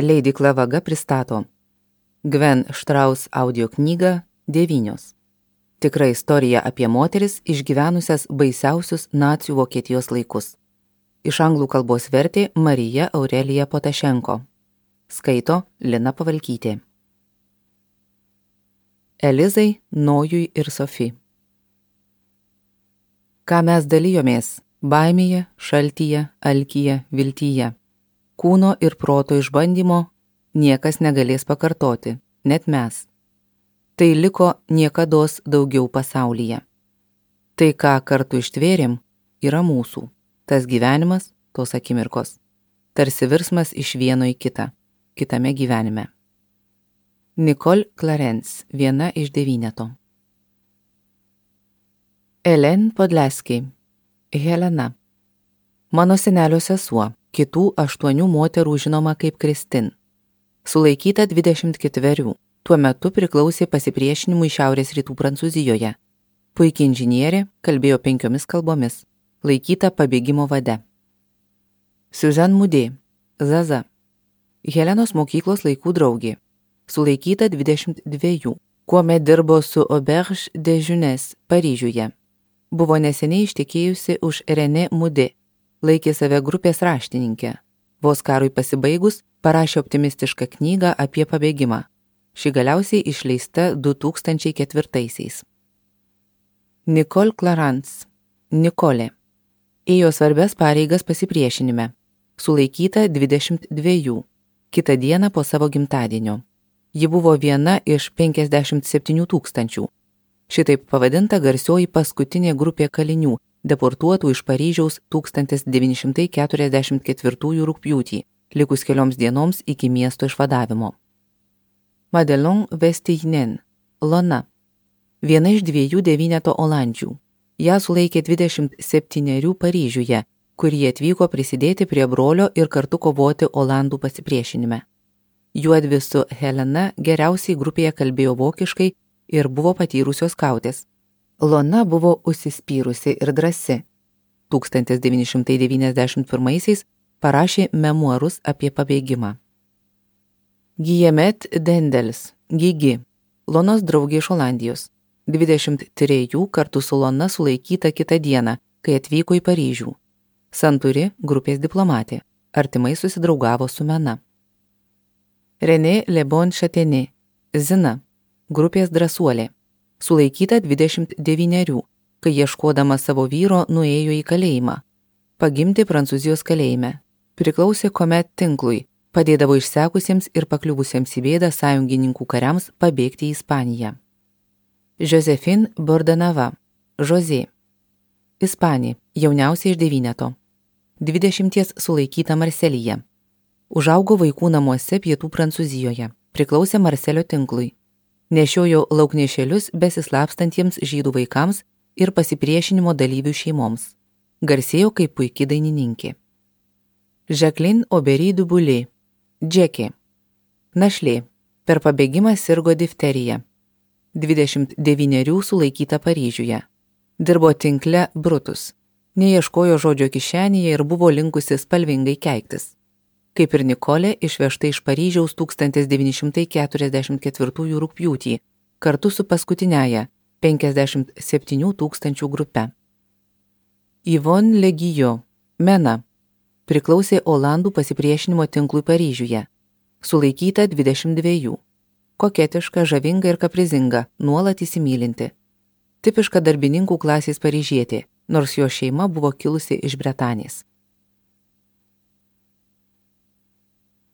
Leidykla Vaga pristato Gwen Štraus audio knygą 9. Tikra istorija apie moteris išgyvenusias baisiausius nacių Vokietijos laikus. Iš anglų kalbos vertė Marija Aurelija Potašenko. Skaito Lina Pavalkytė. Elizai, Nojui ir Sofi. Ką mes dalijomės baimėje, šaltyje, alkyje, viltyje. Kūno ir proto išbandymo niekas negalės pakartoti, net mes. Tai liko niekados daugiau pasaulyje. Tai, ką kartu ištvėrėm, yra mūsų. Tas gyvenimas, tos akimirkos. Tarsi virsmas iš vieno į kitą, kitame gyvenime. Nicole Clarence, viena iš 9. Elen Podleskiai. Helena. Mano senelio sesuo, kitų 8 moterų žinoma kaip Kristin. Sulaikyta 24, tuo metu priklausė pasipriešinimui šiaurės rytų Prancūzijoje. Puikiai inžinierė, kalbėjo 5 kalbomis, laikyta pabėgimo vade. Suzanne Mudė, Zaza. Helenos mokyklos laikų draugė. Sulaikyta 22, kuomet dirbo su Auberge de Jeunesse Paryžiuje. Buvo neseniai ištekėjusi už René Mudė. Laikė save grupės raštininkė. Vos karui pasibaigus, parašė optimistišką knygą apie pabėgimą. Ši galiausiai išleista 2004. Nicole Clarence. Nikolė. Ėjo svarbias pareigas pasipriešinime. Sulaikyta 22, kitą dieną po savo gimtadienio. Ji buvo viena iš 57 000. Šitaip pavadinta garsioji paskutinė grupė kalinių, deportuotų iš Paryžiaus 1944 rugpjūtį, likus kelioms dienoms iki miesto išvadavimo. Madelon Vestijnen, Lona. Viena iš 2 9 olandžių. Ją sulaikė 27 Paryžiuje, kur jie atvyko prisidėti prie brolio ir kartu kovoti olandų pasipriešinime. Juodvi su Helena geriausiai grupėje kalbėjo vokiškai ir buvo patyrusios skautės. Lona buvo užsispyrusi ir drąsi. 1991 parašė memuarus apie pabėgimą. Guillemette Dendels, Gigi, Lonos draugė iš Olandijos. 23 kartu su Lona sulaikyta kitą dieną, kai atvyko į Paryžių. Santuri, grupės diplomatė, artimai susidraugavo su Mena. René Le Bon Châtenay, Zina, grupės drąsuolė. Sulaikyta 29, kai ieškodama savo vyro nuėjo į kalėjimą. Pagimti Prancūzijos kalėjime. Priklausė Comet tinklui, padėdavo išsekusiems ir pakliuvusiems į bėdą sąjungininkų kariams pabėgti į Ispaniją. Josephine Bordanava, José. Ispanė, jauniausia iš 9. 20 sulaikyta Marselyje. Užaugo vaikų namuose pietų Prancūzijoje, priklausė Marselio tinklui. Nešiojo lauknešėlius besislapstantiems žydų vaikams ir pasipriešinimo dalyvių šeimoms. Garsėjo kaip puiki dainininkė. Jacqueline Aubry du Boulay, Džekė. Našlė, per pabėgimą sirgo difterija. 29 sulaikyta Paryžiuje. Dirbo tinkle Brutus. Neieškojo žodžio kišenėje ir buvo linkusi spalvingai keiktis. Kaip ir Nikolė, išvežta iš Paryžiaus 1944 rugpjūtį, kartu su paskutiniaja 57 000 grupe. Yvonne Le Guillot, Mena, priklausė Olandų pasipriešinimo tinklui Paryžiuje. Sulaikyta 22. Koketiška, žavinga ir kaprizinga, nuolat įsimylinti. Tipiška darbininkų klasės paryžietė, nors jo šeima buvo kilusi iš Bretanės.